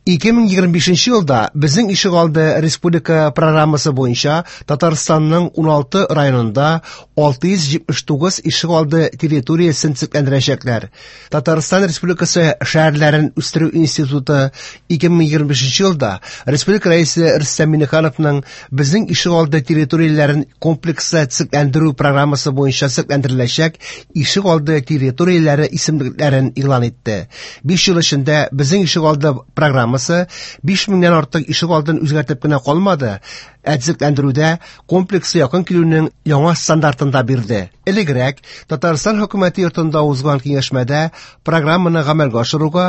2025 елда Безнең ишегалды республика программасы буенча Татарстанның 16 районында 679 ишегалды территориясен төзекләндерәчәкләр. Татарстан Республикасы шәһәрләрен үстерү институты 2025 елда республика Рәисе Рөстәм Миңнехановның Безнең ишегалды территорияләрен комплекслы төзекләндерү программасы буенча төзекләндереләчәк ишегалды территорияләре исемлекләрен игълан итте. 5 ел эчендә Безнең ишегалды программасы 5000-нән артык ишегалдын үзгәртеп кенә калмады, ә төзекләндерүдә комплекслы якын килүнең яңа стандартын да бирде. Элегрәк Татарстан хөкүмәте йортында узган киңәшмәдә программаны гамәлгә ашыруга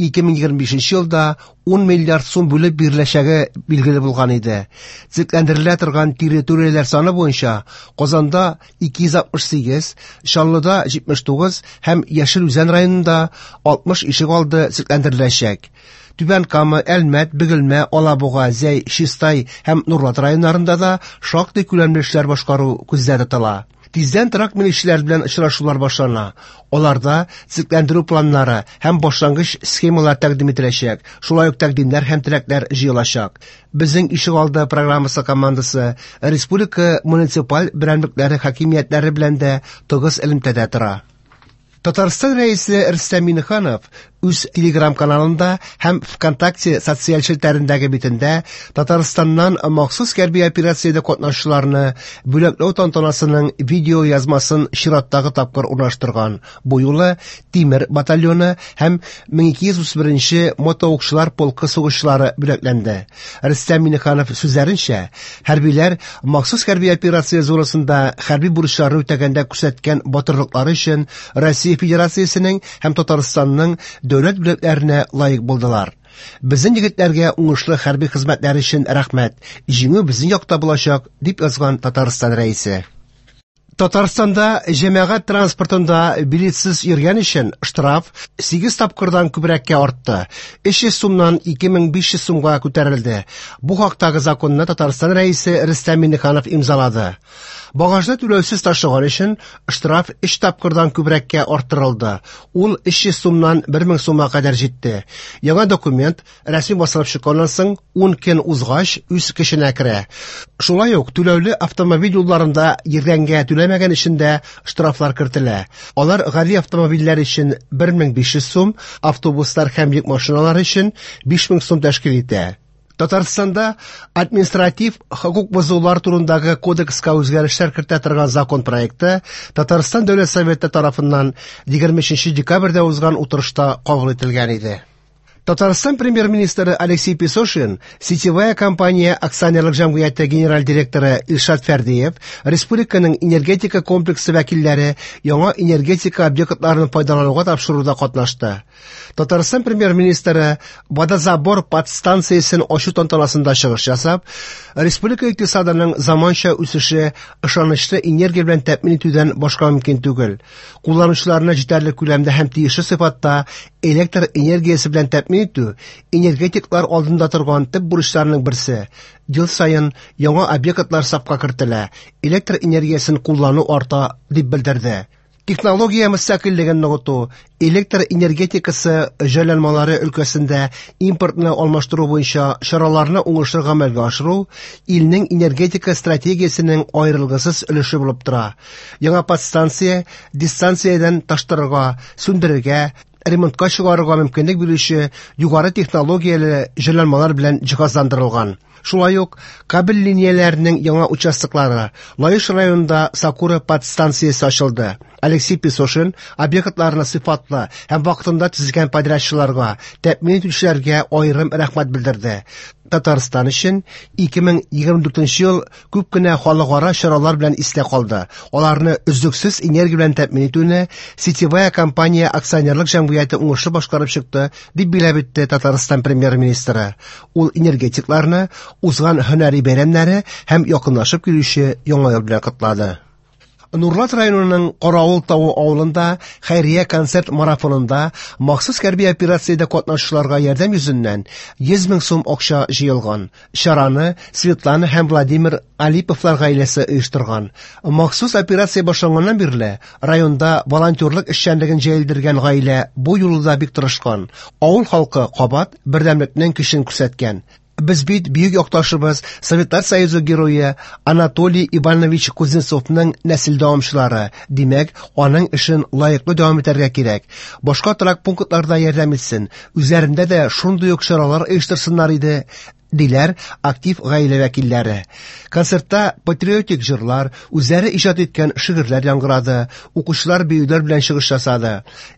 2025 елда 10 миллиард сум бүлеп биреләчәге билгеле булган иде. Төзекләндерелә торган территорияләр саны буенча Казанда 268, Чаллыда 79 һәм Яшел Үзән районында 60 ишегалды төзекләндереләчәк. Түбән Кама, Әлмәт, Бөгелмә, Алабуга, Зәй, Чистай һәм Нурлат районнарында да шактый күләмле эшләр башкару күздә тотыла. Тиздән торак милекчеләр белән очрашулар башлана. Аларда төзекләндерү планнары һәм башлангыч схемалар тәкъдим ителәчәк, шулай ук тәкъдимнәр һәм теләкләр җыелачак. Безнең ишегалды программасы командасы республика муниципаль берәмлекләре хакимиятләре белән дә тыгыз элемтәдә тора. Татарстан Рәисе Рөстәм Миңнеханов үз Телеграм-каналында һәм ВКонтакте социаль челтәрендәге битендә Татарстаннан махсус хәрби операциядә катнашучыларны бүләкләү тантанасының видео язмасын чираттагы тапкыр урнаштырган. Бу юлы Тимер батальоны һәм 1231 мотоукчылар полкы сугышчылары бүләкләнде. Рөстәм Миңнеханов сүзләренчә, хәрбиләр махсус хәрби операция зонасында хәрби бурычларны үтәгәндә күрсәткән батырлыклары өчен Россия Федерациясенең һәм Татарстанның дәүләт бүләкләренә лаек булдылар. Безнең егетләргә уңышлы хәрби хезмәтләре өчен рәхмәт. Җиңү безнең якта булачак, дип язган Татарстан Рәисе. Татарстанда җәмәгать транспортында билетсыз йөргән өчен штраф 8 тапкырдан күбрәккә артты. 300 сумнан 2500 сумга күтәрелде. Бу хактагы законны Татарстан Рәисе Рөстәм Миңнеханов имзалады. Багажны түләүсез ташыган өчен штраф 3 тапкырдан күбрәккә арттырылды. Ул 300 сумнан 1000 сумга кадәр җитте. Яңа документ рәсми басылып чыкканнан соң 10 көн узгач үз көченә керә. Шулай ук түләүле автомобиль юлларында йөргәнгә түләмәгән өчен дә штрафлар кертелә. Алар гади автомобильләр өчен 1500 сум, автобуслар һәм йөк машиналары өчен 5000 сум тәшкил итә. Татарстанда административ хокук бозулар турындагы кодекска үзгәрешләр кертә торган закон проекты Татарстан Дәүләт Советы тарафыннан 23 декабрьдә узган утырышта кабул ителгән иде. Татарстан премьер-министры Алексей Песошин, сетевая компания акционерлык җәмгыяте генераль директоры Илшат Фәрдиев, республиканың энергетика комплексы вәкилләре яңа энергетика объектларын файдалануга тапшыруда катнашты. Татарстан премьер-министры водозабор подстанциясен ачу тантанасында чыгыш ясап, республика икътисадының заманча үсеше ышанычлы энергия белән тәэмин итүдән башка мөмкин түгел. Кулланучыларны җитәрлек күләмдә һәм тиешле сыйфатта электр энергиясе белән тәэмин итү энергетиклар алдында торган төп бурычларның берсе. Ел саен яңа объектлар сафка кертелә, электр энергиясен куллану арта, дип белдерде. Технология мөстәкыйльлеген ныгыту, электр энергетикасы җайланмалары өлкәсендә импортны алмаштыру буенча чараларны уңышлы гамәлгә ашыру илнең энергетика стратегиясенең аерылгысыз өлеше булып тора. Яңа подстанция дистанциядән таштырырга, сүндерергә, ремонтка чыгарырга мөмкинлек бирүче югары технологияле җайланмалар белән җиһазландырылган. Шулай ук кабель линияләренең яңа участоклары Лаеш районында Сакура подстанциясе ачылды. Алексей Песошин объектларны сыйфатлы һәм вакытында төзегән подрядчыларга, тәэмин итүчеләргә аерым рәхмәт белдерде. Татарстан өчен 2024 ел күп кенә халыкара чаралар белән истә калды. Аларны өзлексез энергия белән тәэмин итүне Сетевая компания акционерлык җәмгыяте уңышлы башкарып чыкты, дип билгеләп үтте Татарстан премьер-министры. Ул энергетикларны узган һөнәри бәйрәмнәре һәм якынлашып килүче яңа ел белән котлады. Нурлат районының Каравыл тавы авылында хәйрия концерт марафонында махсус хәрби операциядә катнашучыларга ярдәм йөзеннән 100 мең сум акча җыелган. Чараны Светлана һәм Владимир Алиповлар гаиләсе оештырган. Махсус операция башланганнан бирле районда волонтерлык эшчәнлеген җәелдергән гаилә бу юлы да бик тырышкан. Авыл халкы кабат бердәмлекнең көчен күрсәткән. Без бит бөек якташыбыз, Советлар Союзы герое Анатолий Иванович Кузнецовның нәсел дәвамчылары. Димәк, аның эшен лаеклы дәвам итәргә кирәк. Башка торак пунктларда ярдәм итсен, үзләрендә дә шундый ук чаралар оештырсыннар иде, диләр актив гаилә вәкилләре. Концертта патриотик җырлар, үзләре иҗат иткән шигырьләр яңгырады, укучылар биюләр белән чыгыш ясады.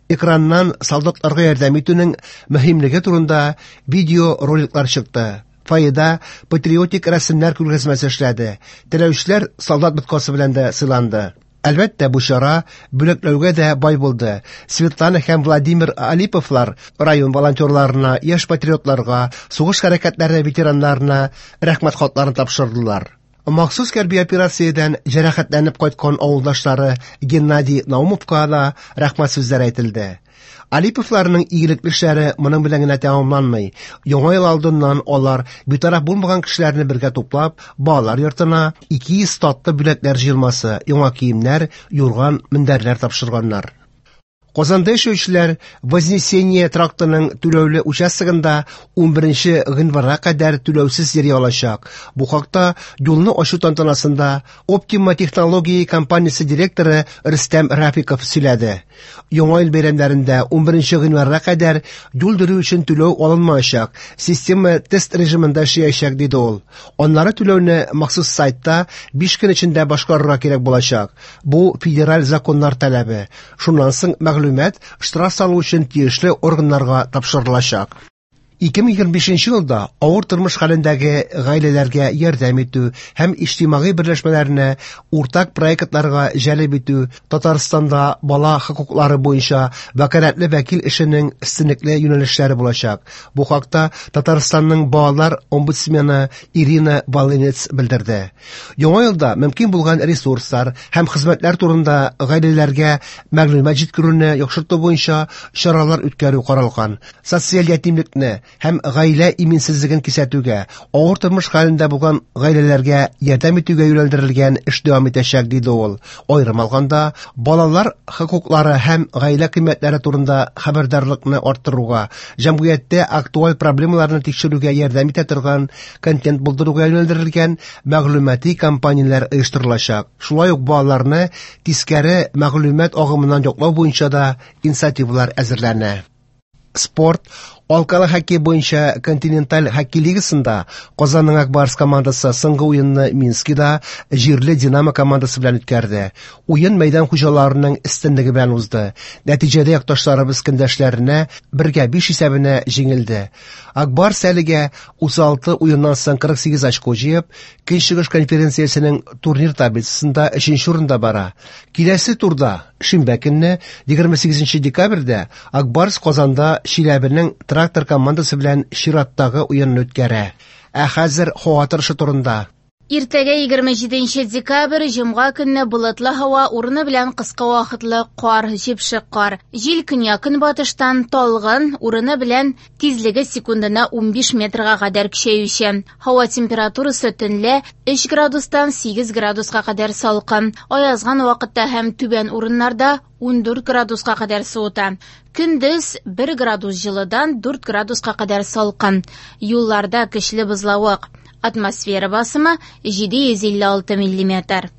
Экраннан солдатларга ярдәм итүнең мөһимлеге турында видеороликлар чыкты. Фойеда патриотик рәсемнәр күргәзмәсе эшләде. Теләүчеләр солдат боткасы белән дә сыйланды. Әлбәттә, бу чара бүләкләүгә дә бай булды. Светлана һәм Владимир Алиповлар район волонтерларына, яшь патриотларга, сугыш хәрәкәтләре ветераннарына рәхмәт хатларын тапшырдылар. Махсус хәрби операциядән җәрәхәтләнеп кайткан авылдашлары Геннадий Наумовка да рәхмәт сүзләре әйтелде. Алиповларның игелекле эшләре моның белән генә тәмамланмый. Яңа ел алдыннан алар битараф булмаган кешеләрне бергә туплап, балалар йортына 200 татлы бүләкләр җыелмасы, яңа киемнәр, юрган, мендәрләр тапшырганнар. Казанда яшәүчеләр Вознесение трактының түләүле участогында 11 гыйнварга кадәр түләүсез йөри алачак. Бу хакта юлны ачу тантанасында Optima технологии компаниясе директоры Рөстәм Рафиков сөйләде. Яңа ел бәйрәмнәрендә 11 гыйнварга кадәр юл йөрү өчен түләү алынмаячак, система тест режимында эшләячәк, диде ул. Аннары түләүне махсус сайтта 5 көн эчендә башкарырга кирәк булачак. Бу федераль законнар таләбе. Шуннан соң мәгълүмат штраф салу өчен тиешле органнарга тапшырылачак. 2025 елда авыр тормыш хәлендәге гаиләләргә ярдәм итү һәм иҗтимагый берләшмәләрне уртак проектларга җәлеп итү Татарстанда бала хокуклары буенча вәкаләтле вәкил эшенең өстенлекле юнәлешләре булачак. Бу хакта Татарстанның балалар омбудсмены Ирина Волынец белдерде. Яңа елда мөмкин булган ресурслар һәм хезмәтләр турында гаиләләргә мәгълүмат җиткерүне яхшырту буенча чаралар үткәрү каралган. Социаль ятимлекне һәм гаилә иминсезлеген кисәтүгә, авыр тормыш хәлендә булган гаиләләргә ярдәм итүгә юнәлдерелгән эш дәвам итәчәк, диде ул. Аерым алганда, балалар хокуклары һәм гаилә кыйммәтләре турында хәбәрдарлыкны арттыруга, җәмгыятьтә актуаль проблемаларны тикшерүгә ярдәм итә торган контент булдыруга юнәлдерелгән мәгълүмати кампанияләр оештырылачак. Шулай ук балаларны тискәре мәгълүмат агымыннан яклау буенча да инициативалар әзерләнә. Спорт алкалы хоккей буенча континенталь хоккей лигасында Казанның Ак Барс командасы соңгы уенны Минскида җирле Динамо командасы белән үткәрде. Уен мәйдан хуҗаларының өстенлеге белән узды. Нәтиҗәдә якташларыбыз көндәшләренә 1-5 исәбенә җиңелде. Ак Барс әлегә 36 уеннан соң 48 очко җыеп, Көнчыгыш конференциясенең турнир таблицасында 3нче урында бара. Киләсе турда шимбә көнне 28 декабрьдә Ак Барс Казанда Чиләбенең Трактор командасы белән чираттагы уенны үткәрә. Ә хәзер һава торышы турында. Иртәгә 27 декабрь, җомга көнне болытлы һава, урыны белән кыска вакытлы кар, җепшек кар. Җил көньяк-көнбатыштан талгын, урыны белән тизлеге секундына 15 метрга кадәр көчәюче. Һава температурасы төнлә 3 градустан 8 градуска кадәр салкын. Аязган вакытта һәм түбән урыннарда 14 градуска кадәр суыта. Көндез 1 градус җылыдан 4 градуска кадәр салкын. Юлларда көчле бозлавык. Атмосфера басымы 756 миллиметр.